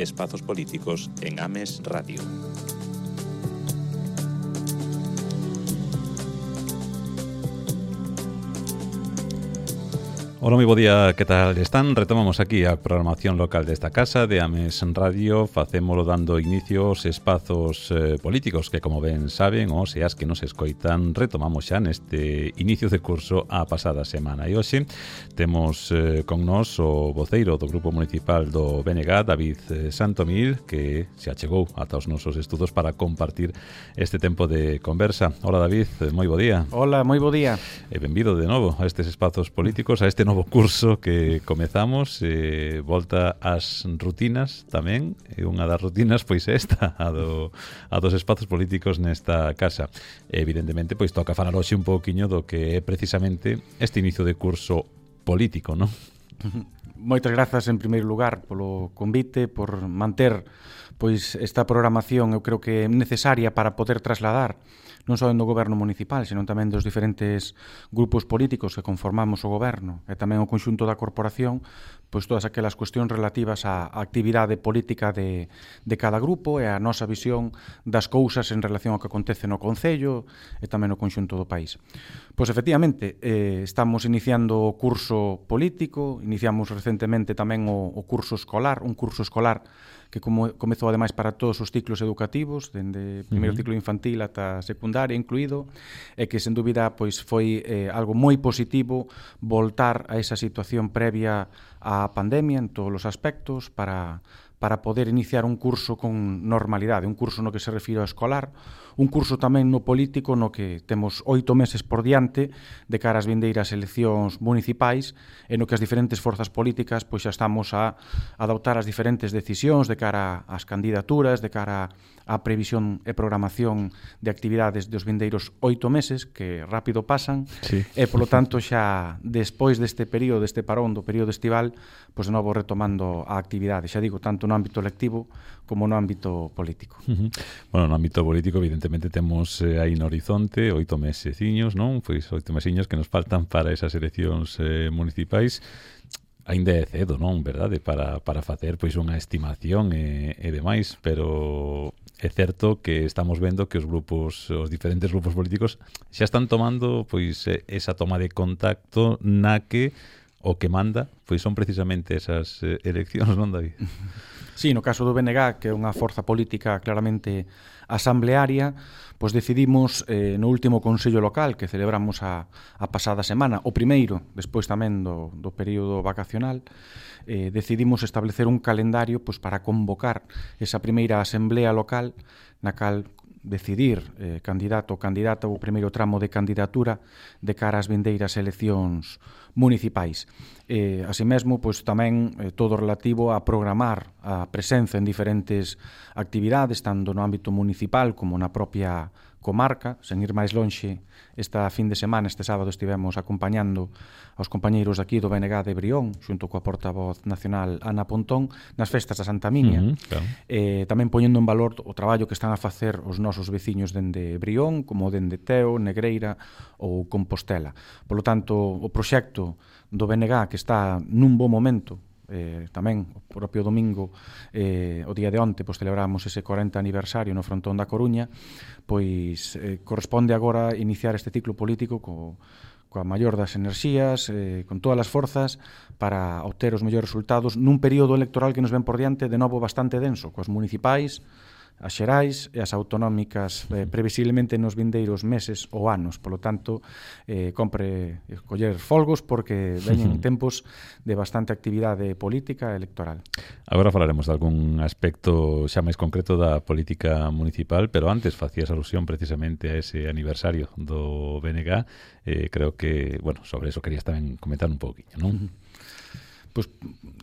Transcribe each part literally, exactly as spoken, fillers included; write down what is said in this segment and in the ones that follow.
Espazos Políticos en Ames Radio. Hola, moi bo día, que tal están? Retomamos aquí a programación local desta casa de Ames Radio. Facémolo dando inicio aos espazos eh, políticos que, como ben saben, ou se as que nos escoitan, retomamos xa neste inicio de curso a pasada semana. E hoxe temos eh, con nós o voceiro do Grupo Municipal do B N G, David eh, Santomil, que se achegou ata os nosos estudos para compartir este tempo de conversa. Hola, David, eh, moi bo día. Hola, moi bo día. E benvido de novo a estes espazos políticos, a este novo curso que comezamos, eh, volta ás rutinas tamén, e unha das rutinas pois esta, a, do, a dos espazos políticos nesta casa. Evidentemente, pois toca falar hoxe un pouquiño do que é precisamente este inicio de curso político, non? Moitas grazas en primeiro lugar polo convite, por manter pois esta programación, eu creo que é necesaria para poder trasladar non só do goberno municipal, senón tamén dos diferentes grupos políticos que conformamos o goberno e tamén o conxunto da corporación, pois todas aquelas cuestións relativas á actividade política de, de cada grupo e a nosa visión das cousas en relación ao que acontece no Concello e tamén no conxunto do país. Pois efectivamente, eh, estamos iniciando o curso político, iniciamos recentemente tamén o, o curso escolar, un curso escolar que como comezou ademais para todos os ciclos educativos, dende o primeiro uh-huh. ciclo infantil ata secundaria incluído, e que sen dúbida pois foi eh, algo moi positivo voltar a esa situación previa á pandemia en todos os aspectos para para poder iniciar un curso con normalidade, un curso no que se refiro ao escolar, un curso tamén no político no que temos oito meses por diante de cara ás vindeiras eleccións municipais e no que as diferentes forzas políticas pois xa estamos a adoptar as diferentes decisións de cara ás candidaturas, de cara á previsión e programación de actividades dos vindeiros oito meses que rápido pasan, sí. E polo tanto xa despois deste período, deste parón do período estival, pois de novo retomando a actividade, xa digo, tanto no ámbito lectivo como no ámbito político. Uh-huh. Bueno, no ámbito político evidentemente temos eh, aí no horizonte oito meseciños, non? Pois oito mesiños que nos faltan para esas eleccións eh, municipais. Ainda é cedo, non? Verdade? Para, para facer pois unha estimación e, e demais, pero é certo que estamos vendo que os grupos, os diferentes grupos políticos xa están tomando pois esa toma de contacto na que o que manda pois son precisamente esas eh, eleccións, non, David? Sí, no caso do B N G, que é unha forza política claramente asamblearia, pois decidimos eh, no último Consello Local que celebramos a, a pasada semana, o primeiro, despois tamén do, do período vacacional, eh, decidimos establecer un calendario pois, para convocar esa primeira asamblea local na cal decidir eh, candidato ou candidata o primeiro tramo de candidatura de cara ás vindeiras eleccións municipais. Eh, así mesmo, pois tamén eh, todo relativo a programar a presenza en diferentes actividades, tanto no ámbito municipal como na propia comarca. Sen ir máis lonxe, esta fin de semana, este sábado, estivemos acompañando aos compañeiros aquí do B N G de Brión, xunto coa portavoz nacional Ana Pontón, nas festas da Santa Miña, uh-huh, claro. eh, tamén poñendo en valor o traballo que están a facer os nosos veciños dende Brión, como dende Teo, Negreira ou Compostela. Polo tanto, o proxecto do B N G, que está nun bo momento, Eh, tamén o propio domingo, eh, o día de onte, pois celebramos ese corenta aniversario no frontón da Coruña, pois eh, corresponde agora iniciar este ciclo político co, coa maior das enerxías, eh, con todas as forzas para obter os mellores resultados nun período electoral que nos ven por diante, de novo bastante denso, coas municipais, as xerais e as autonómicas eh, previsiblemente nos vindeiros meses ou anos. Polo tanto, eh, compre coller folgos porque veñen tempos de bastante actividade política e electoral. Agora falaremos de algún aspecto xa máis concreto da política municipal, pero antes facías alusión precisamente a ese aniversario do B N G. Eh, creo que, bueno, sobre eso querías tamén comentar un pouquiño, non? Pois,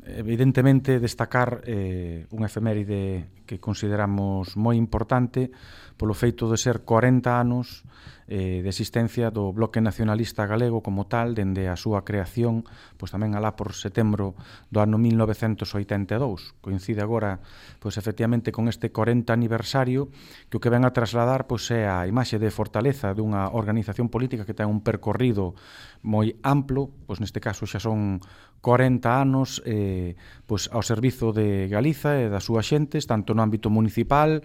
evidentemente, destacar eh, unha efeméride que consideramos moi importante polo feito de ser corenta anos eh, de existencia do Bloque Nacionalista Galego como tal, dende a súa creación, pois tamén alá por setembro do ano mil novecentos oitenta e dous. Coincide agora, pois efectivamente, con este corenta aniversario, que o que ven a trasladar pois é a imaxe de fortaleza dunha organización política que ten un percorrido moi amplo, pois neste caso xa son corenta anos eh, pois ao servizo de Galiza e das súas xentes, tanto no ámbito municipal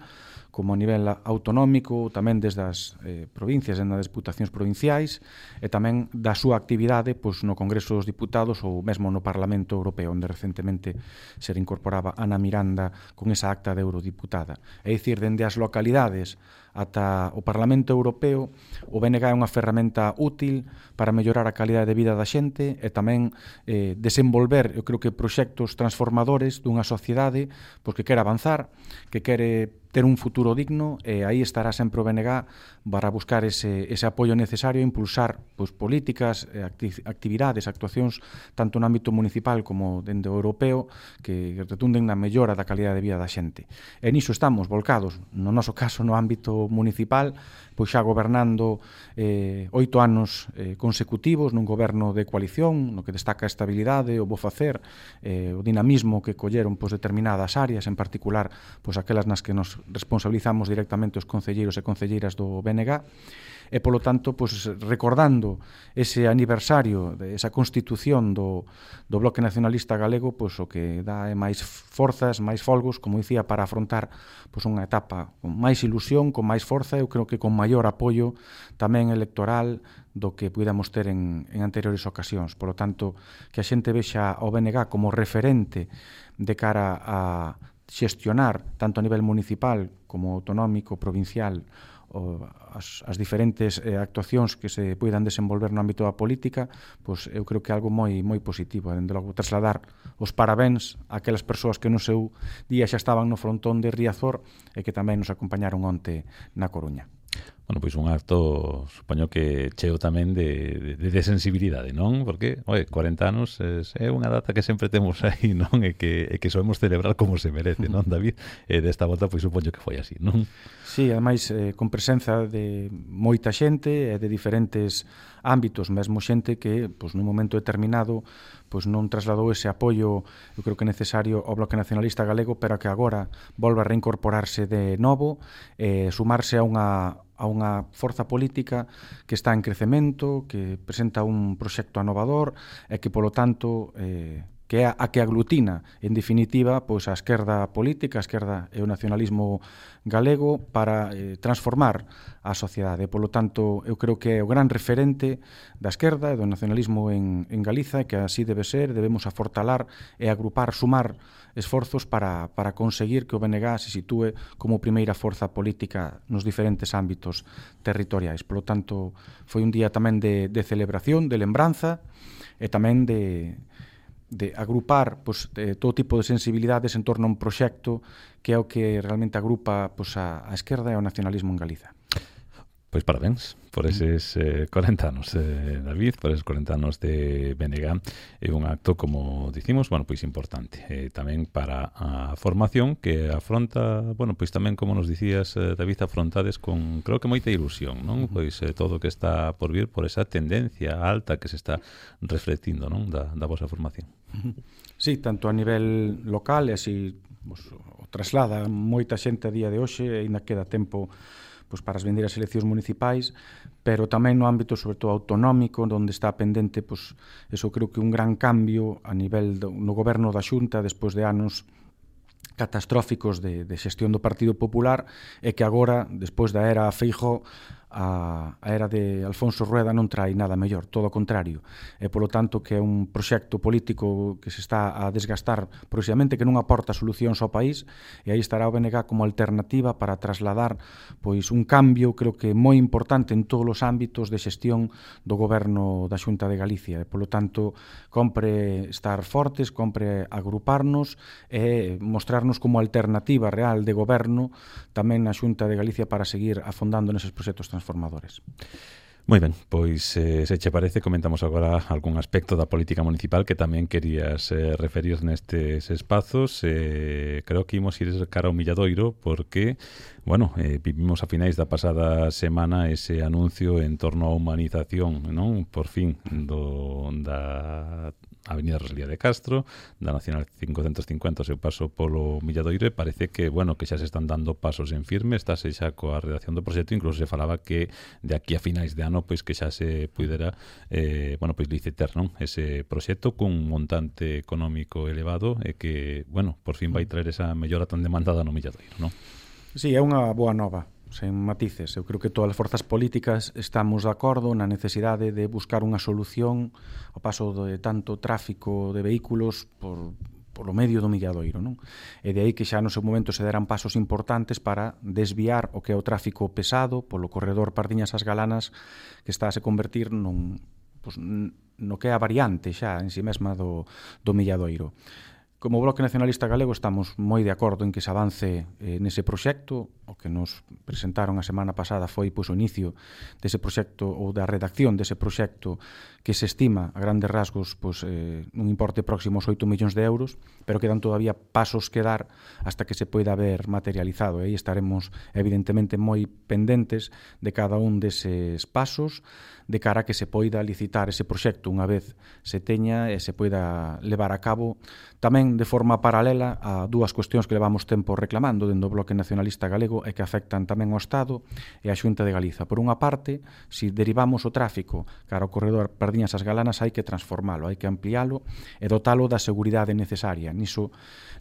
como a nivel autonómico, tamén desde as eh, provincias e nas diputacións provinciais, e tamén da súa actividade pois, no Congreso dos Diputados ou mesmo no Parlamento Europeo, onde recentemente se incorporaba Ana Miranda con esa acta de eurodiputada. É dicir, dende as localidades ata o Parlamento Europeo, o B N G é unha ferramenta útil para mellorar a calidade de vida da xente e tamén eh, desenvolver, eu creo que proxectos transformadores dunha sociedade pois, que quere avanzar, que quere ter un futuro digno, e aí estará sempre o B N G para buscar ese, ese apoio necesario e impulsar pois, políticas, actividades, actuacións tanto no ámbito municipal como dende o europeo que retunden na mellora da calidade de vida da xente. E niso estamos volcados, no noso caso no ámbito municipal, pois xa gobernando eh, oito anos eh, consecutivos nun goberno de coalición, no que destaca a estabilidade, o bo facer, eh, o dinamismo que colleron pois, determinadas áreas, en particular pois, aquelas nas que nos responsabilizamos directamente os concelleiros e concelleiras do B N G, e polo tanto pois, recordando ese aniversario de esa constitución do, do Bloque Nacionalista Galego, pois, o que dá é máis forzas, máis folgos, como dicía, para afrontar pois, unha etapa con máis ilusión, con máis forza, eu creo que con maior apoio tamén electoral do que puidamos ter en, en anteriores ocasións. Por lo tanto, que a xente vexa ao B N G como referente de cara a xestionar, tanto a nivel municipal como autonómico, provincial, o as, as diferentes eh, actuacións que se poidan desenvolver no ámbito da política, pois eu creo que é algo moi moi positivo. Dende logo, trasladar os parabéns a aquelas persoas que no seu día xa estaban no frontón de Riazor e que tamén nos acompañaron onte na Coruña. Bueno, pois un acto, supoño que cheo tamén de, de, de sensibilidade, non? Porque, oi, corenta anos é unha data que sempre temos aí, non? E que, e que sabemos celebrar como se merece, non, David? E desta volta, pois, supoño que foi así, non? Sí, ademais, eh, con presenza de moita xente e de diferentes ámbitos, mesmo xente que, pois, nun momento determinado, pois non trasladou ese apoio, eu creo que necesario ao Bloque Nacionalista Galego, pero que agora volve a reincorporarse de novo, eh, sumarse a unha a unha forza política que está en crecemento, que presenta un proxecto anovador e que, polo tanto, eh, que é a que aglutina, en definitiva, pois a esquerda política, a esquerda e o nacionalismo galego para eh, transformar a sociedade. Polo tanto, eu creo que é o gran referente da esquerda e do nacionalismo en, en Galiza, e que así debe ser, debemos afortalar e agrupar, sumar esforzos para, para conseguir que o B N G se sitúe como primeira forza política nos diferentes ámbitos territoriais. Polo tanto, foi un día tamén de, de celebración, de lembranza e tamén de, de agrupar pois, de todo tipo de sensibilidades en torno a un proxecto que é o que realmente agrupa pois, a, a esquerda e o nacionalismo en Galiza. Pois parabéns por eses eh, corenta anos, eh, David, por eses corenta anos de B N G. É un acto, como dicimos, bueno, pois importante. Eh, tamén para a formación que afronta, bueno, pois tamén, como nos dicías, eh, David, afrontades con, creo que moita ilusión, non? Pois eh, todo o que está por vir por esa tendencia alta que se está reflectindo, non? Da, da vosa formación. Sí, tanto a nivel local e así pues, o traslada moita xente a día de hoxe, e ainda queda tempo pois, para as vindeiras eleccións municipais, pero tamén no ámbito, sobre todo, autonómico, onde está pendente, pois, eso creo que un gran cambio a nivel do, no goberno da Xunta, despois de anos catastróficos de, de xestión do Partido Popular, e que agora, despois da era Feijóo, a, a era de Alfonso Rueda non trae nada mellor, todo o contrario, e polo tanto que é un proxecto político que se está a desgastar progresivamente, que non aporta solucións ao país, e aí estará o B N G como alternativa para trasladar pois un cambio, creo que moi importante en todos os ámbitos de xestión do goberno da Xunta de Galicia, e polo tanto compre estar fortes, compre agruparnos e mostrarnos como alternativa real de goberno tamén na Xunta de Galicia para seguir afondando neses proxectos transformadores. Moi ben, pois eh, se che parece comentamos agora algún aspecto da política municipal que tamén querías eh, referir nestes espazos. Eh, creo que imos ir cara ao Milladoiro porque, bueno, eh, vivimos a finais da pasada semana ese anuncio en torno á humanización, non? Por fin, do, da Avenida Rosalía de Castro, da Nacional quinhentos cincuenta, o seu paso polo Milladoiro, e parece que, bueno, que xa se están dando pasos en firme, estáse xa coa redacción do proxecto, incluso se falaba que de aquí a finais de ano pois que xa se pudera eh, bueno, pois licitar, non? Ese proxecto cun montante económico elevado e que, bueno, por fin vai traer esa mellora tan demandada no Milladoiro, non? Sí, é unha boa nova, sen matices. Eu creo que todas as forzas políticas estamos de acordo na necesidade de buscar unha solución ao paso de tanto tráfico de vehículos por polo medio do Milladoiro, non? E de aí que xa no seu momento se deran pasos importantes para desviar o que é o tráfico pesado polo corredor Pardiñas ás Galanas, que está a se convertir nun, pues, no que é a variante xa en si mesma do, do Milladoiro. Como Bloque Nacionalista Galego estamos moi de acordo en que se avance eh, nese proxecto. O que nos presentaron a semana pasada foi pois, o inicio dese proxecto ou da redacción dese proxecto que se estima a grandes rasgos pois, eh, un importe próximo aos oito millóns de euros, pero quedan todavía pasos que dar hasta que se poida ver materializado. E aí estaremos evidentemente moi pendentes de cada un deses pasos de cara a que se poida licitar ese proxecto unha vez se teña e se poida levar a cabo tamén de forma paralela a dúas cuestións que levamos tempo reclamando dentro do Bloque Nacionalista Galego e que afectan tamén ao Estado e a Xunta de Galiza. Por unha parte, se derivamos o tráfico cara ao corredor Pardiñas ás Galanas, hai que transformalo, hai que ampliálo e dotalo da seguridade necesaria. Niso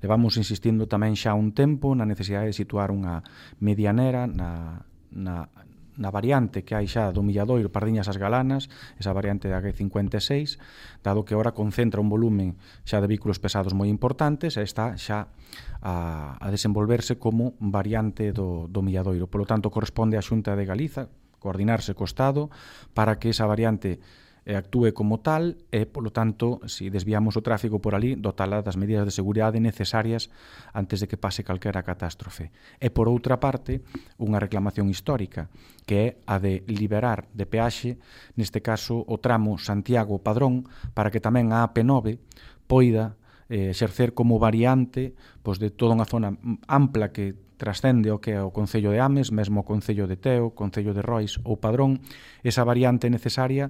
levamos insistindo tamén xa un tempo na necesidade de situar unha medianera na, na na variante que hai xa do Milladoiro Pardiñas ás Galanas, esa variante da G cincuenta e seis, dado que agora concentra un volumen xa de vehículos pesados moi importantes e está xa a, a desenvolverse como variante do, do Milladoiro. Por lo tanto, corresponde á Xunta de Galiza coordinarse co Estado para que esa variante e actúe como tal e, polo tanto, se desviamos o tráfico por ali, dotala das medidas de seguridade necesarias antes de que pase calquera catástrofe. E, por outra parte, unha reclamación histórica, que é a de liberar de peaxe, neste caso, o tramo Santiago-Padrón, para que tamén a A P nove poida eh, exercer como variante pois, de toda unha zona ampla que trascende o que é o Concello de Ames, mesmo o Concello de Teo, Concello de Rois ou Padrón, esa variante necesaria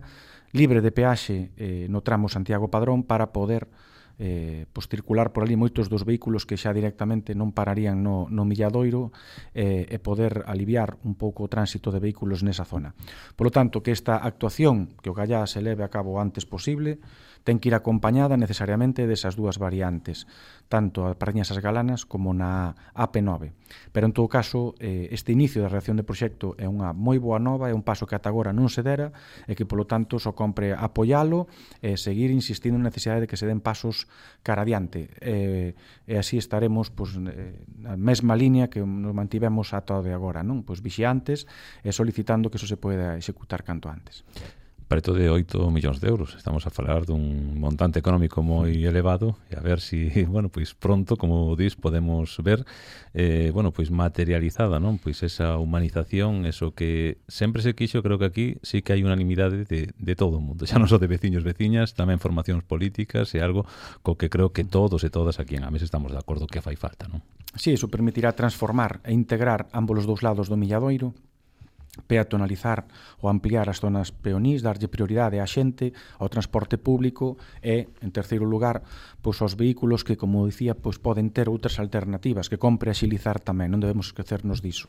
libre de peaxe eh, no tramo Santiago-Padrón para poder eh, pois, circular por ali moitos dos vehículos que xa directamente non pararían no, no Milladoiro eh, e poder aliviar un pouco o tránsito de vehículos nesa zona. Por lo tanto, que esta actuación que o Gallá se leve a cabo o antes posible ten que ir acompañada necesariamente desas dúas variantes, tanto a Pardiñas ás Galanas como na A P nove. Pero, en todo caso, eh, este inicio da redacción de proxecto é unha moi boa nova, é un paso que ata agora non se dera e que, polo tanto, só compre apoialo e seguir insistindo na necesidade de que se den pasos cara adiante. E, e así estaremos pois, na mesma línea que nos mantivemos ata o de agora, non? Pois vixiantes e solicitando que eso se poida executar canto antes. Preto de oito millóns de euros. Estamos a falar dun montante económico moi elevado e a ver si, bueno, pois pronto, como dis, podemos ver eh, bueno, pois materializada, non? Pois esa humanización, eso que sempre se quixo, creo que aquí sí que hai unanimidade de, de todo o mundo, xa non só de veciños, veciñas, tamén formacións políticas e algo co que creo que todos e todas aquí en Ames estamos de acordo que fai falta, non? Sí, iso permitirá transformar e integrar ambos os dous lados do Milladoiro, peatonalizar ou ampliar as zonas peonís, darlle prioridade á xente, ao transporte público e, en terceiro lugar, pois aos vehículos que, como dicía, pois poden ter outras alternativas que compre axilizar tamén, non debemos esquecernos diso.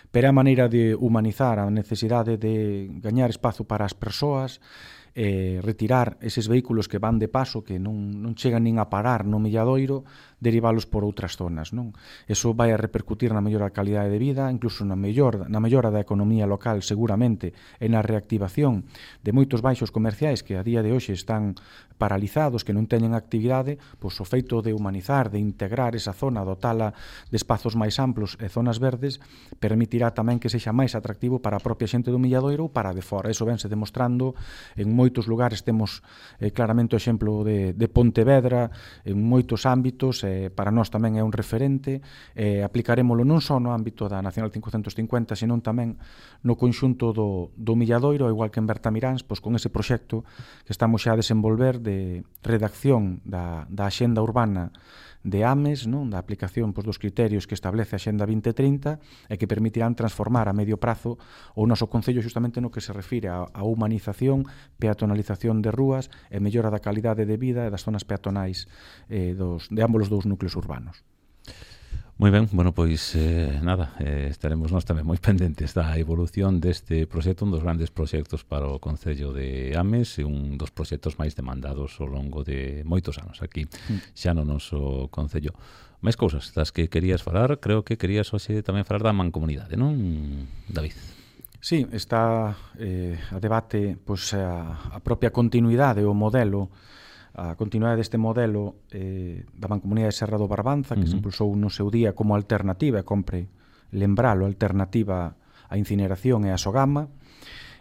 Pero a maneira de humanizar a necesidade de gañar espazo para as persoas, eh, retirar eses vehículos que van de paso, que non, non chegan nin a parar no Milladoiro, derivalos por outras zonas, non? Eso vai a repercutir na mellora da calidade de vida, incluso na mellor, na mellora da economía local seguramente e na reactivación de moitos baixos comerciais que a día de hoxe están paralizados, que non teñen actividade, pois o feito de humanizar, de integrar esa zona, dotala de espazos máis amplos e zonas verdes, permitirá tamén que sexa máis atractivo para a propia xente do Milladoiro ou para de fora. Eso vense demostrando en moitos lugares temos eh, claramente o exemplo de, de Pontevedra en moitos ámbitos, eh, para nós tamén é un referente, eh, aplicarémolo non só no ámbito da Nacional cincocentos cincuenta, senón tamén no conxunto do, do Milladoiro, igual que en Bertamiráns, pois con ese proxecto que estamos xa a desenvolver de redacción da, da axenda urbana de AMES, non? Da aplicación pois, dos criterios que establece a Xenda vinte trinta e que permitirán transformar a medio prazo o noso concello xustamente no que se refire a, a humanización, peatonalización de rúas e mellora da calidade de vida e das zonas peatonais eh, dos, de ambos os dous núcleos urbanos. Moi ben, bueno, pois eh, nada, eh, estaremos nós tamén moi pendentes da evolución deste proxecto, un dos grandes proxectos para o Concello de Ames e un dos proxectos máis demandados ao longo de moitos anos aquí, xa no noso Concello. Máis cousas das que querías falar, creo que querías hoxe tamén falar da mancomunidade, non, David? Sí, está eh, a debate pois, a, a propia continuidade, o modelo a continuidade deste modelo eh, da Mancomunidade de Serra do Barbanza, que uh-huh. se impulsou no seu día como alternativa, e compre lembralo, alternativa á incineración e á sogama,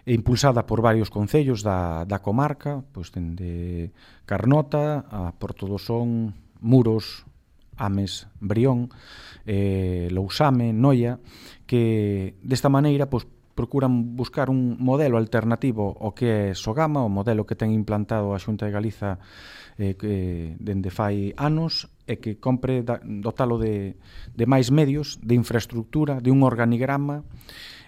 e impulsada por varios concellos da, da comarca, pois dende Carnota a Porto do Son, Muros, Ames, Brión, eh, Lousame, Noia, que desta maneira pois, procuran buscar un modelo alternativo ao que é Sogama, o modelo que ten implantado a Xunta de Galiza eh, que dende fai anos e que compre da, dotalo de, de máis medios, de infraestructura, de un organigrama,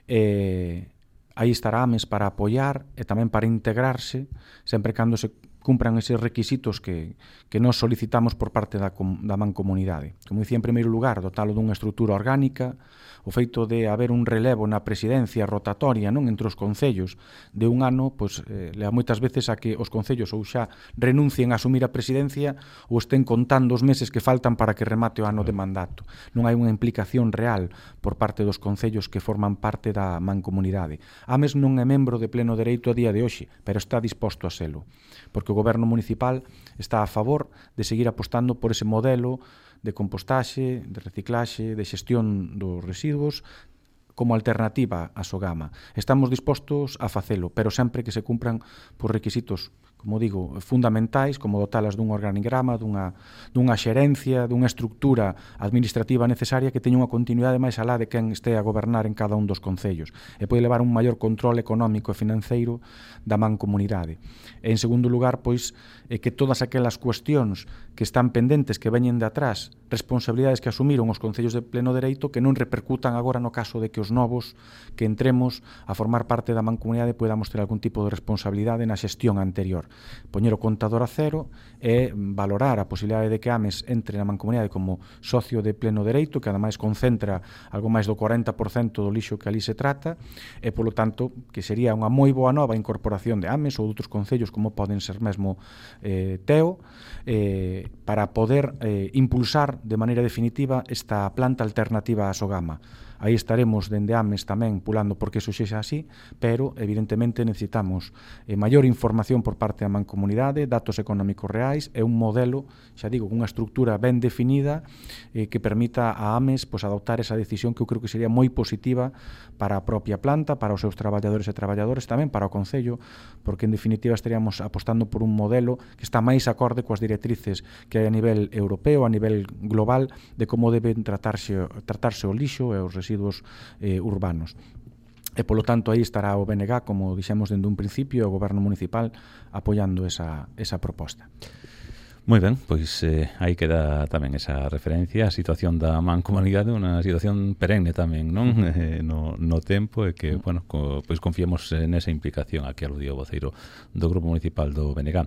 eh, aí estará Ames para apoiar e tamén para integrarse, sempre cando se cumpran eses requisitos que, que nos solicitamos por parte da, da mancomunidade. Como dicía, en primeiro lugar, dotalo dunha estrutura orgánica, o feito de haber un relevo na presidencia rotatoria, non, entre os concellos de un ano, pois eh, leva moitas veces a que os concellos ou xa renuncien a asumir a presidencia ou estén contando os meses que faltan para que remate o ano de mandato. Non hai unha implicación real por parte dos concellos que forman parte da mancomunidade. Ames non é membro de pleno dereito a día de hoxe, pero está disposto a selo, porque o goberno municipal está a favor de seguir apostando por ese modelo de compostaxe, de reciclaxe, de xestión dos residuos como alternativa á Sogama. Estamos dispostos a facelo, pero sempre que se cumpran por requisitos, como digo, fundamentais, como dotalas dun organigrama, dunha, dunha xerencia, dunha estructura administrativa necesaria que teña unha continuidade máis alá de quen este a gobernar en cada un dos concellos e pode levar un maior control económico e financeiro da mancomunidade. E, en segundo lugar, pois, é que todas aquelas cuestións que están pendentes, que veñen de atrás, responsabilidades que asumiron os concellos de pleno dereito, que non repercutan agora no caso de que os novos que entremos a formar parte da mancomunidade podamos ter algún tipo de responsabilidade na xestión anterior. Poñer o contador a cero e valorar a posibilidade de que Ames entre na mancomunidade como socio de pleno dereito, que ademais concentra algo máis do corenta por cento do lixo que ali se trata, e polo tanto que sería unha moi boa nova incorporación de Ames ou de outros concellos como poden ser mesmo eh, Teo, eh, para poder eh, impulsar de maneira definitiva esta planta alternativa á Sogama. Aí estaremos dende Ames tamén pulando porque iso sexa así, pero evidentemente necesitamos eh, maior información por parte da mancomunidade, datos económicos reais e un modelo, xa digo, unha estructura ben definida eh, que permita a Ames pues, adoptar esa decisión que eu creo que sería moi positiva para a propia planta, para os seus traballadores e traballadores, tamén para o Concello, porque en definitiva estaríamos apostando por un modelo que está máis acorde coas directrices que hai a nivel europeo, a nivel global, de como deben tratarse, tratarse o lixo e os residuos eh, urbanos. E, polo tanto, aí estará o B N G, como dixemos dende un principio, o Goberno Municipal apoiando esa, esa proposta. Moi ben, pois eh, aí queda tamén esa referencia a situación da mancomunidade, unha situación perenne tamén, non? Uh-huh. Eh, no, no tempo e que, uh-huh. bueno, co, pois confiemos nesa implicación aquí aludiu o voceiro do Grupo Municipal do B N G.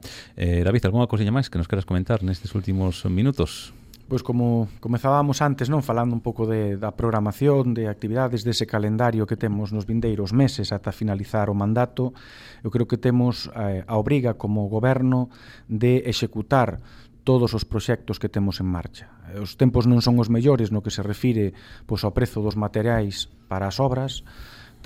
Eh, David, algunha cousiña máis que nos queras comentar nestes últimos minutos? Pois como comezábamos antes, non, falando un pouco de, da programación, de actividades, dese calendario que temos nos vindeiros meses ata finalizar o mandato, eu creo que temos eh, a obriga como goberno de executar todos os proxectos que temos en marcha. Os tempos non son os mellores no que se refire pois, ao prezo dos materiais para as obras,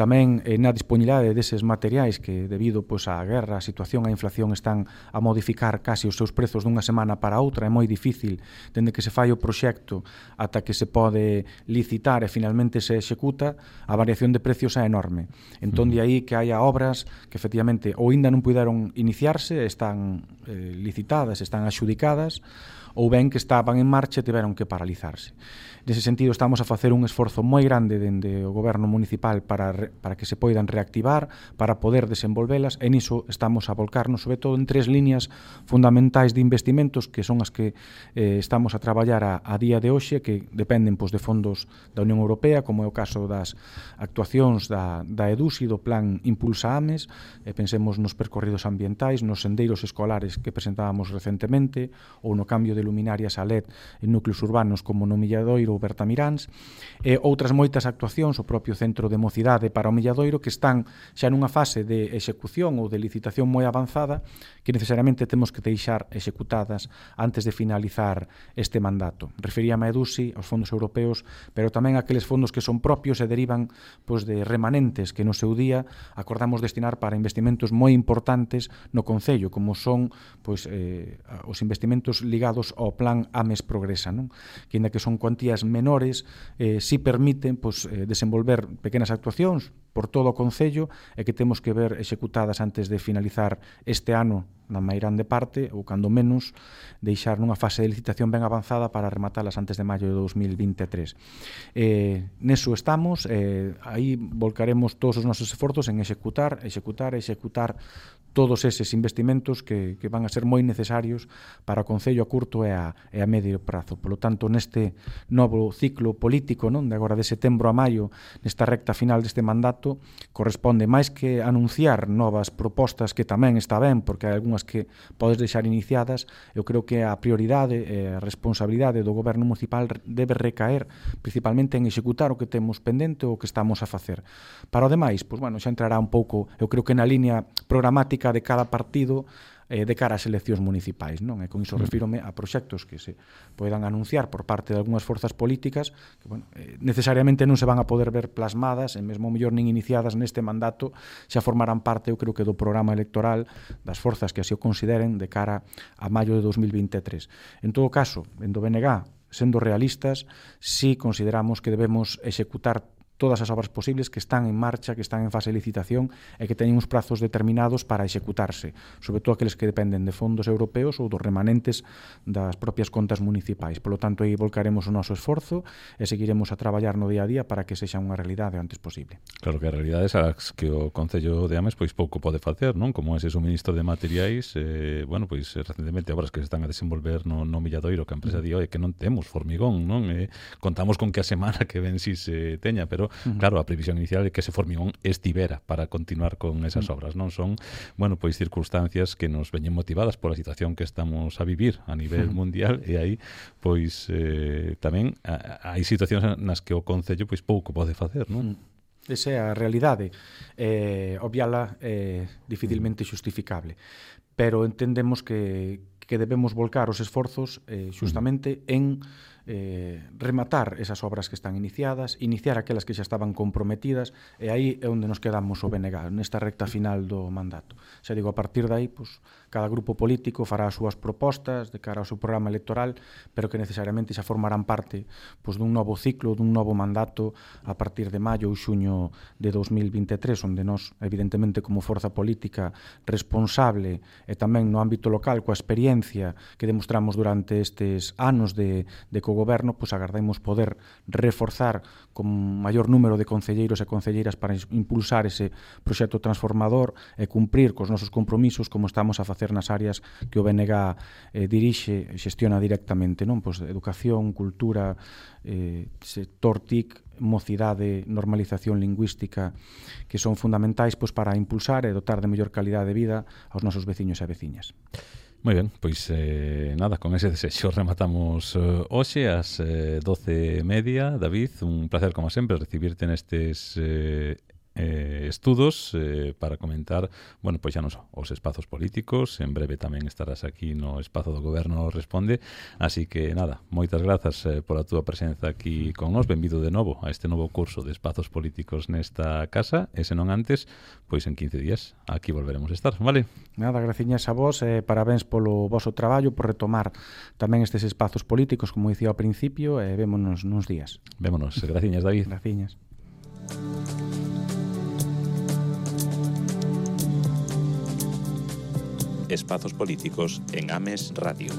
tamén eh, na disponibilidade deses materiais que debido pois, á guerra, a situación, a inflación están a modificar casi os seus prezos dunha semana para outra. É moi difícil dende que se fai o proxecto ata que se pode licitar e finalmente se executa, a variación de precios é enorme. Entón, de aí que haya obras que efectivamente ou ainda non puderon iniciarse, están eh, licitadas, están axudicadas, ou ben que estaban en marcha e tiveron que paralizarse. Nese sentido, estamos a facer un esforzo moi grande dende o goberno municipal para, re, para que se poidan reactivar, para poder desenvolvelas, e niso estamos a volcarnos, sobre todo, en tres líneas fundamentais de investimentos, que son as que eh, estamos a traballar a, a día de hoxe, que dependen pois, de fondos da Unión Europea, como é o caso das actuacións da, da EDUSI, do Plan Impulsa Ames, e pensemos nos percorridos ambientais, nos sendeiros escolares que presentábamos recentemente, ou no cambio de luminarias a L E D en núcleos urbanos como no Milladoiro ou Bertamiráns, e outras moitas actuacións, o propio Centro de Mocidade para o Milladoiro, que están xa nunha fase de execución ou de licitación moi avanzada, que necesariamente temos que deixar executadas antes de finalizar este mandato. Referíame a EDUSI, aos fondos europeos, pero tamén aqueles fondos que son propios e derivan pois, de remanentes que no seu día acordamos destinar para investimentos moi importantes no Concello, como son pois, eh, os investimentos ligados ao Plan Ames Progresa, non? Que ainda que son cuantías menores, eh, si permiten pois, eh, desenvolver pequenas actuacións por todo o Concello e que temos que ver executadas antes de finalizar este ano na máis grande parte, ou cando menos deixar nunha fase de licitación ben avanzada para rematalas antes de maio de dos mil vinte e tres. Eh, neso estamos, eh, aí volcaremos todos os nosos esforzos en executar, executar, executar todos eses investimentos que, que van a ser moi necesarios para o Concello a curto e a, e a medio prazo. Por lo tanto, neste novo ciclo político, non, de agora de setembro a maio, nesta recta final deste mandato, corresponde máis que anunciar novas propostas, que tamén está ben, porque hai algunhas que podes deixar iniciadas. Eu creo que a prioridade e a responsabilidade do goberno municipal debe recaer principalmente en executar o que temos pendente ou o que estamos a facer. Para o demais, pois, bueno, xa entrará un pouco, eu creo que na línea programática de cada partido eh, de cara ás eleccións municipais, non? E con iso refírome a proxectos que se poidan anunciar por parte de algunhas forzas políticas que, bueno, eh, necesariamente non se van a poder ver plasmadas, e mesmo mellor nin iniciadas neste mandato, xa formarán parte, eu creo que do programa electoral das forzas que así o consideren de cara a maio de dos mil vinte e tres. En todo caso, en do B N G, sendo realistas, si consideramos que debemos executar todas as obras posibles que están en marcha, que están en fase de licitación e que teñen uns prazos determinados para executarse, sobre todo aqueles que dependen de fondos europeos ou dos remanentes das propias contas municipais. Por lo tanto, aí volcaremos o noso esforzo e seguiremos a traballar no día a día para que sexa unha realidade o antes posible. Claro que a realidade é as que o Concello de Ames pois pouco pode facer, non? Como ese suministro de materiais, eh, bueno, pois recentemente obras que se están a desenvolver no, no Milladoiro, que a empresa di, oi, que non temos formigón, non? Eh, contamos con que a semana que ven si se teña, pero Uh-huh. claro, a previsión inicial é que ese formigón estivera para continuar con esas uh-huh. obras, non? Son, bueno, pois circunstancias que nos veñen motivadas pola situación que estamos a vivir a nivel uh-huh. mundial, e aí pois eh, tamén hai situacións nas que o Concello pois pouco pode facer, non? Uh-huh. Esa é a realidade. Eh, obviala é eh, dificilmente xustificable, pero entendemos que, que debemos volcar os esforzos eh, justamente uh-huh. en eh, rematar esas obras que están iniciadas, iniciar aquelas que xa estaban comprometidas, e aí é onde nos quedamos o B N G, nesta recta final do mandato. Xa digo, a partir de aí, pues, cada grupo político fará as súas propostas de cara ao seu programa electoral, pero que necesariamente xa formarán parte pues, dun novo ciclo, dun novo mandato a partir de maio ou xuño de dos mil vinte e tres, onde nós, evidentemente, como forza política responsable e tamén no ámbito local, coa experiencia que demostramos durante estes anos de, de cogoberno, pues, agardamos poder reforzar con maior número de concelleiros e concelleiras para impulsar ese proxecto transformador e cumprir cos nosos compromisos como estamos a facer nas áreas que o B N G eh, dirixe e xestiona directamente, non? Pois educación, cultura, eh, sector T I C, mocidade, normalización lingüística, que son fundamentais pois, para impulsar e dotar de mellor calidade de vida aos nosos veciños e veciñas. Moi ben, pois eh, nada, con ese desexo rematamos eh, hoxe ás eh, doce e media. David, un placer como sempre recibirte nestes eh, eh, estudos eh, para comentar, bueno, pois xa non só os espazos políticos, en breve tamén estarás aquí no espazo do Goberno Responde, así que nada, moitas grazas eh, pola túa presenza aquí con nós, benvido de novo a este novo curso de espazos políticos nesta casa, e se non antes, pois en quince días aquí volveremos a estar, vale? Nada, graciñas a vos, e parabéns polo voso traballo, por retomar tamén estes espazos políticos, como dicía ao principio, e vémonos nuns días. Vémonos, graciñas, David. Graciñas. Espazos políticos en Ames Radio.